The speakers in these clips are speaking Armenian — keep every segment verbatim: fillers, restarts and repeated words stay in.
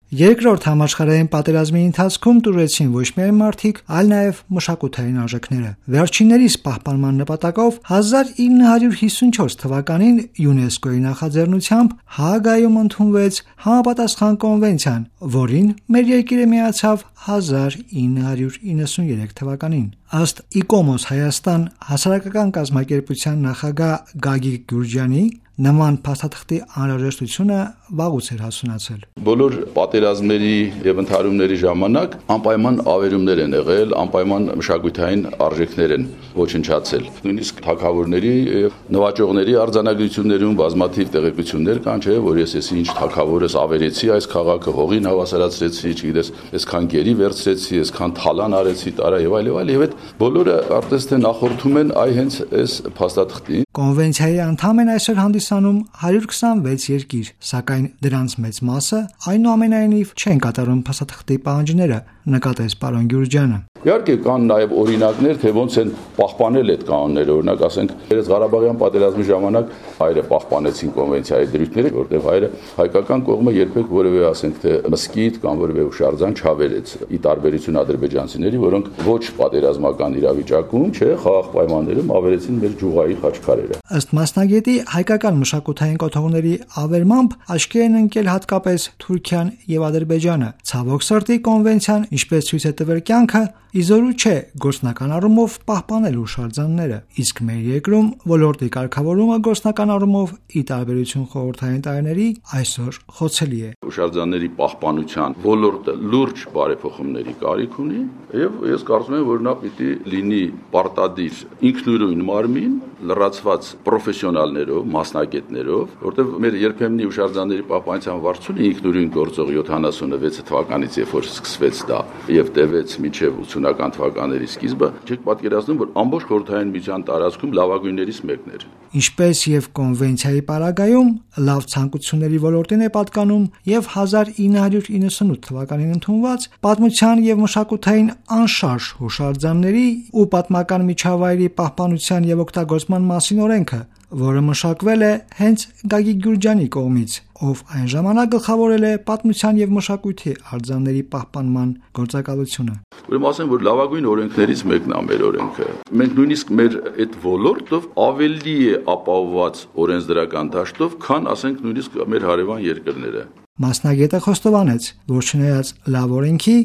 Երկրորդ համաշխարհային պատերազմի ընթացքում տուրեցին ոչ միայն մարդիկ, այլ նաև մշակութային արժեքները։ Վերջիններիս պահպանման նպատակով հազար ինը հարյուր հիսունչորս թվականին ՅՈՒՆԵՍԿՕ-ի նախաձեռնությամբ Հաագայում ընդունվեց համապատասխան կոնվենցիան, որին մեր երկիրը միացավ հազար ինը հարյուր իննսուներեք թվականին։ Ըստ ICOMOS Հայաստան հասարակական կազմակերպության նախագահ Գագիկ Գյուրջյանի, նման փաստաթղթի անհրաժեշտությունը վաղուց էր հասունացել։ Բոլոր պատերազմների եւ ընդհարումների ժամանակ անպայման ավերումներ են եղել, անպայման մշակութային արժեքներ են ոչնչացել։ Նույնիսկ թագավորների եւ նվաճողների արձանագրություններում բազմաթիվ տեղեկություններ կան, չէ, որ ես ես ինչ թագավորս ավերեցի այս քաղաքը, հողին հավասարացրեցի, չգիտես, այսքան գերի վերցրեցի, այսքան թալան արեցի, տարա եւ այլ եւ այլ, եւ այդ բոլորը արդեն թե նախորդում են այ հենց այս փաստաթղթին։ Կոնվենցիայի անդամ են այսօր հանդիսանում հարյուր քսանվեց երկիր, սակայն դրանց մեծ մասը այնուամենայնիվ չեն կատարում փաստաթղթի պահանջները, նկատեց պարոն Գյուրջյանը։ Իհարկե կան նաև օրինակներ, թե ոնց են պահպանել այդ կանոնները, օրինակ ասենք, երես Ղարաբաղյան պատերազմի ժամանակ հայերը պահպանեցին կոնվենցիայի դրույթները, որտեղ հայերը հայկական կողմը երբեք որևէ ասենք թե մսկիթ կամ որևէ հուշարձան չավերեց, ի տարբերություն ադրբեջանցիների, որոնք ոչ պատերազմական իրավիճակում, չէ, խաղաղ պայմաններում ավերեցին մեր ջուղայի խաչքարերը։ Ըստ մասնագետի, հայկական մշակութային կոթողների ավերմամբ աչքի են ընկել հատկապես Թուրքիան եւ Ադրբեջանը։ Ցավոք սրտի կոնվենցիան, ինչպես ցույց է տվել կյանքը, իզորու չէ գործնական առումով պահպանել հուշարձանները, իսկ մեր երկրում ոլորտի կարգավորումը գործնական առումով, ի տարբերություն խորհրդային տարիների, այսօր խոցելի է։ Հուշարձանների պահպանության ոլորտը լուրջ բարեփոխումների կարիք ունի, եւ ես կարծում եմ, որ նա պիտի լինի պարտադիր ինքնուրույն մարմին, լրացված պրոֆեսիոնալներով, մասնագետներով, որտեղ մեր երբեմնի հուշարձանների պահպանության վարչությունը ինքնուրույն գործող յոթանասունվեց թվականից, երբ որ սկսվեց դա եւ տևեց մինչեւ ութսունական թվականների սկիզբը, չեք պատկերացնում, որ ամբողջ խորհրդային միության տարածքում լավագույններից մեկն էր։ Ինչպես եւ կոնվենցիայի պարագայում լավ ցանկությունների ոլորտին է պատկանում եւ հազար ինը հարյուր իննսունութ թվականին ընդունված պատմության եւ մշակութային անշարժ հուշարձանների ու պատմական միջավայրի պահպանության եւ օգտագործման մասին օրենքը, որը մշակվել է հենց Գագիկ Գյուրջյանի կողմից, ով այն ժամանակ գլխավորել է պատմության եւ մշակույթի արձանների պահպանման գործակալությունը։ Ուրեմն ասեմ, որ լավագույն օրենքներից մեկն է մեր օրենքը։ Մենք նույնիսկ մեր այդ ոլորտով ավելի է ապահովված օրենսդրական դաշտով, քան ասենք նույնիսկ մեր հարևան երկրները։ Մասնագետը խոստովանեց, որ չնայած լավ օրենքի,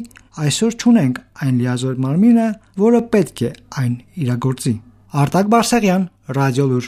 այսօր չունենք այն լիազոր մարմինը, որը պետք է այն իրագործի։ Արտակ Բարսեղյան, Ռադիոլուր։